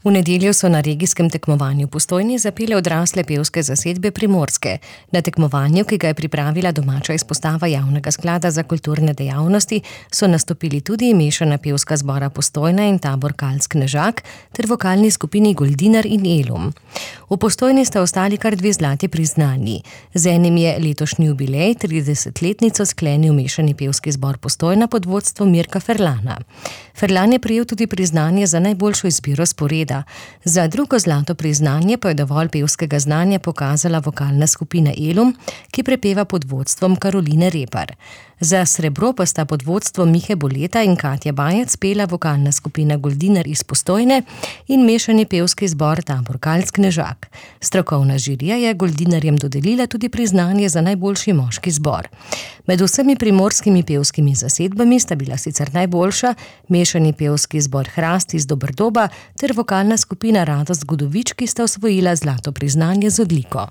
V nedeljo so na regijskem tekmovanju v Postojni zapele odrasle pevske zasedbe Primorske. Na tekmovanju, ki ga je pripravila domača izpostava Javnega sklada za kulturne dejavnosti, so nastopili tudi mešana pevska zbora Postojna in tabor Kalc-Knežak ter vokalni skupini Goldinar in Elum. V Postojni sta ostali kar 2 zlati priznanji. Z enim je letošnji jubilej, 30-letnico, sklenil mešani pevski zbor Postojna pod vodstvom Mirka Ferlana. Ferlan je prejel tudi priznanje za najboljšo izbiro sporeda. Za drugo zlato priznanje pa je dovolj pevskega znanja pokazala vokalna skupina Elum, ki prepeva pod vodstvom Karoline Repar. Za srebro pa sta pod vodstvom Mihe Boleta in Katja Bajec pela vokalna skupina Goldinar iz Postojne in mešani pevski zbor tabor Kalc-Knežak. Strokovna žirija je Goldinarjem dodelila tudi priznanje za najboljši moški zbor. Med vsemi primorskimi pevskimi zasedbami sta bila sicer najboljša mešani pevski zbor Hrast iz Doberdoba ter vokalna skupina Radost Godovič, ki sta osvojila zlato priznanje z odliko.